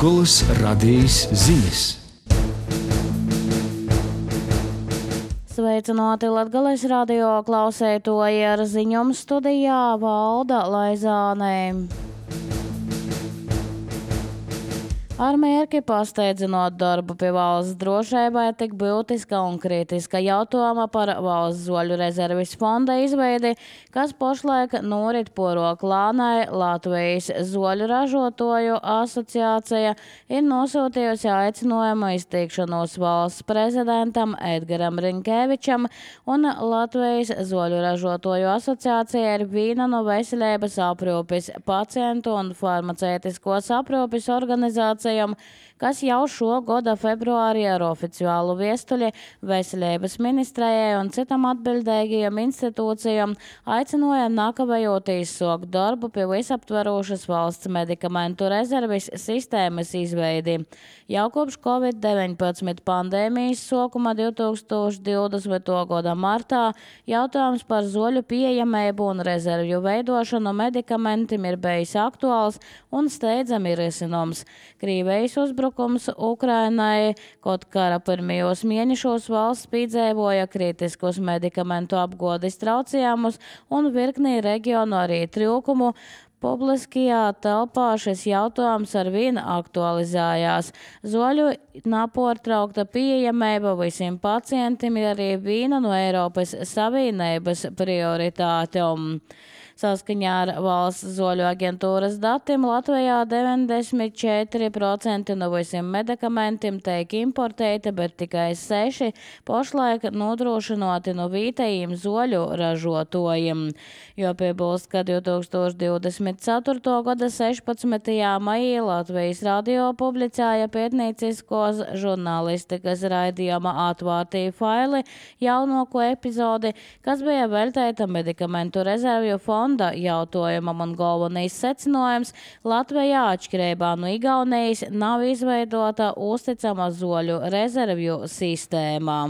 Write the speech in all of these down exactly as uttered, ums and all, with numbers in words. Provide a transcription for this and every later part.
Latgolas radijas ziņas. Sveicināti Latgales radio klausētoji, ar ziņojumu studijā Valda Laizāne. Ar mērķi pasteidzinot darbu pie valsts drošībai tik būtiska un kritiska jautājuma par valsts zoļu rezerves fonda izveidi, kas pašlaik norit porok lānai, Latvijas zoļu ražotoju asociācija ir nosūtījusi aicinājumu izteikšanos valsts prezidentam Edgaram Rinkevičam, un Latvijas zoļu ražotoju asociācija ir viena no veselības aprūpes, pacientu un farmaceitiskos aprūpes organizācijas, kas jau šo gada februārī ar oficiālu viestuļi Veselības ministrijai un citam atbildīgajiem institūcijām aicināja nākavējot izsākt darbu pie visaptverošas valsts medikamentu rezerves sistēmas izveidi. Jau kopš covid deviņpadsmit pandēmijas sākuma divtūkstoš divdesmitā gada martā jautājums par zoļu pieejamību un rezervju veidošanu medikamentiem ir bijis aktuāls un steidzami risināms. Krievijas uzbrukums Ukrainai, kaut kara pirmajos mēnešos valsts piedzīvoja kritiskus medikamentu apgādes traucējumus un virknī reģionu arī trūkumu. Publiskajā telpā šis jautājums arvien aktualizējās. Zoļu nepārtraukta pieejamība visiem pacientiem ir arī viena no Eiropas Savienības prioritātēm. Saskaņā ar valsts zoļu aģentūras datiem Latvijā deviņdesmit četri procenti no visiem medikamentiem tiek importēti, bet tikai seši pašlaik nodrošināti no vietējiem zoļu ražotājiem. Jo piebilst, ka divtūkstoš divdesmit ceturtā gada sešpadsmitajā maijā Latvijas radio publicēja pētnieciskos žurnālistikas raidījuma Atvārtī faili jaunāko epizodi, kas bija veltīta medikamentu rezervju fonda jautājumam, un galvenais secinājums – Latvijā atšķirībā no Igaunijas nav izveidota uzticama zoļu rezervju sistēma.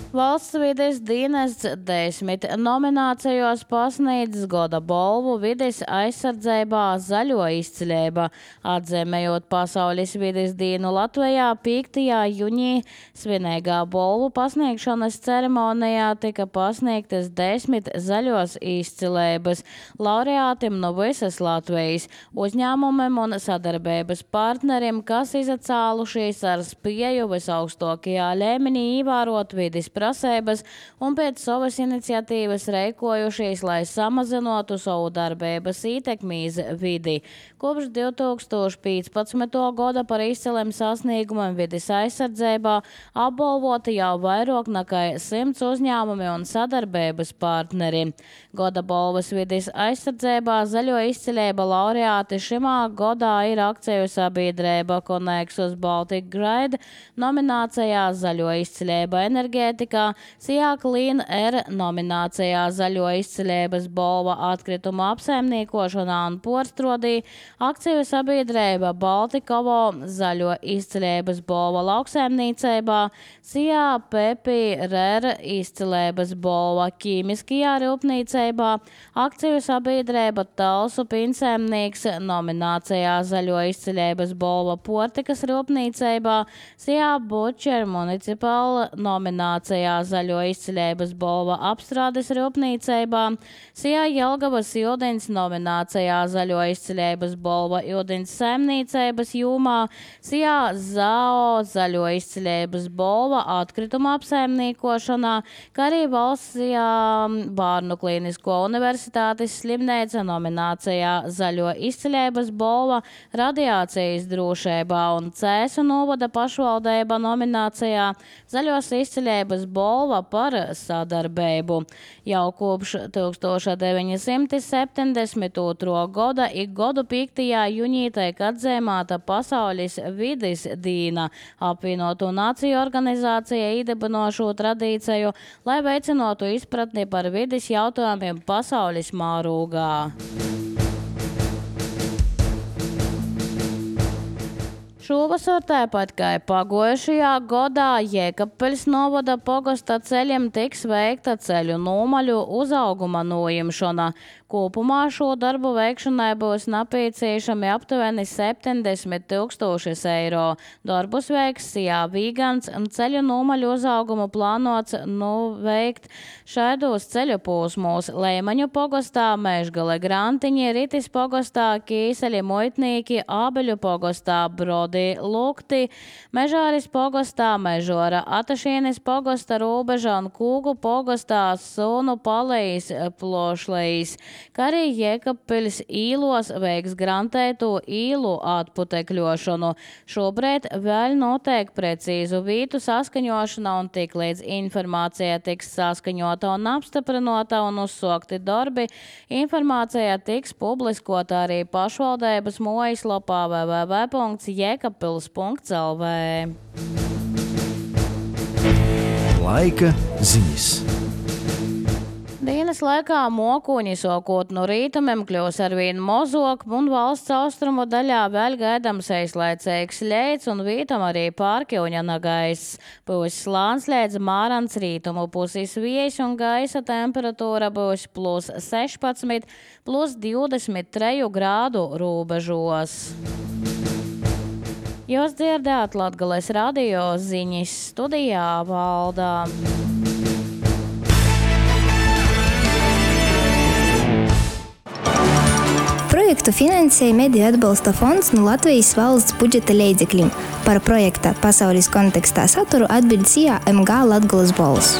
Valsts vides dienests desmit nominācijos pasniedz gada balvu vides aizsardzībā zaļo izcilība. Atzīmējot Pasaules vides dienu Latvijā piektajā jūnijā svinīgā balvu pasniegšanas ceremonijā tika pasniegtas desmit zaļos izcilības laureātiem no visas Latvijas uzņēmumiem un sadarbības partneriem, kas izacēlušies ar spēju visaugstākajā līmenī ievērot vides prasības un pēc savas iniciatīvas rīkojušies, lai samazinātu savu darbības ietekmi uz vidi. Kopš divtūkstoš piecpadsmitā gada par izciliem sasniegumiem vides aizsardzībā apbalvoti jau vairāk nekā simts uzņēmumi un sadarbības partneri. Gada balvas vides aizsardzībā zaļo izcilība laureāti šimā gadā ir akciju sabiedrība Connexus Baltic Grid nominācijā zaļo izcilība enerģētika, Sijā Clean Air nominācijā zaļo izcilības balva atkrituma apsaimniekošanā un porstrodī, akciju sabiedrība Baltikovo zaļo izcilības balva lauksaimniecībā, Sijā Pepi Rēra izcilības balva ķīmiskajā rūpnīcībā, akciju sabiedrība Talsu piensaimnieks nominācijā zaļo izcilības balva portikas rūpnīcībā, Sijā Butcher municipāla nominācijā zaļo izcilības balva apstrādes rūpnīcībā, Sijā Jelgavas ūdens nominācijā zaļo izcilības balva ūdens saimniecības jomā, Sijā Zao zaļo izcilības balva atkrituma apsaimniekošanā, kā arī valsts Bārnu klīnisko universitātes slimnīca nominācijā zaļo izcilības balva radiācijas drošībā un Cēsu novada pašvaldība nominācijā zaļos izcilības balva par sadarbību. Jau kopš deviņdesmit otrā gada ik gadu piektajā jūnijā tiek atzīmēta Pasaules vides diena. Apvienoto nāciju organizācija iedibinošo tradīciju, lai veicinātu izpratni par vides jautājumiem pasaules mārūgā. Šovasar tāpat kā pagojušajā gadā Jēkabpeļs novada pogasta ceļiem tiks veikta ceļu nomaļu uzauguma noimšana. Kopumā šo darbu veikšanai būs nepieciešami aptuveni septiņdesmit tūkstošus eiro. Darbus veiks Sijā Vīgans, ceļu nomaļu uzaugumu plānots nu veikt šaidos ceļu posmos Leimaņu pogastā, Mežgale Grantiņi, Ritis pogastā, Kīseļi Muitnīki, Ābeļu pogastā, Brodi Lukti, Mežāris pogastā, Mežora Atašienes pogasta, Rūbeža un Kūgu pogastā, Sunu Palejs, Plošlejs, kā arī Jēkabpeļs īlos veiks grantētu īlu atputekļošanu. Šobrīd vēl notiek precīzu vītu saskaņošana un tik līdz informācija tiks saskaņota un apstiprinota un uzsokti darbi, informācija tiks publiskota arī pašvaldības mājaslapā w w w punkts jēkabpils punkts l v. Laika ziņas. Dienas laikā mokuņi sokot no rītumiem kļūs arvien mozok un valsts austrumu daļā vēl gaidams aizlaicīgs ļeids un vītam arī pārkļūņana gaiss. Būs slāns līdz mārans rītumu pusis viejas un gaisa temperatūra būs plus sešpadsmit, plus divdesmit trīs grādu robežos. Jūs dzirdēt Latgales radio ziņas, studijā Valdā. Projektu finansēja Mediju atbalsta fonds no Latvijas valsts budžeta līdzekļiem. Par projekta pasaules kontekstā saturu atbild Sijā M G Latgales balss.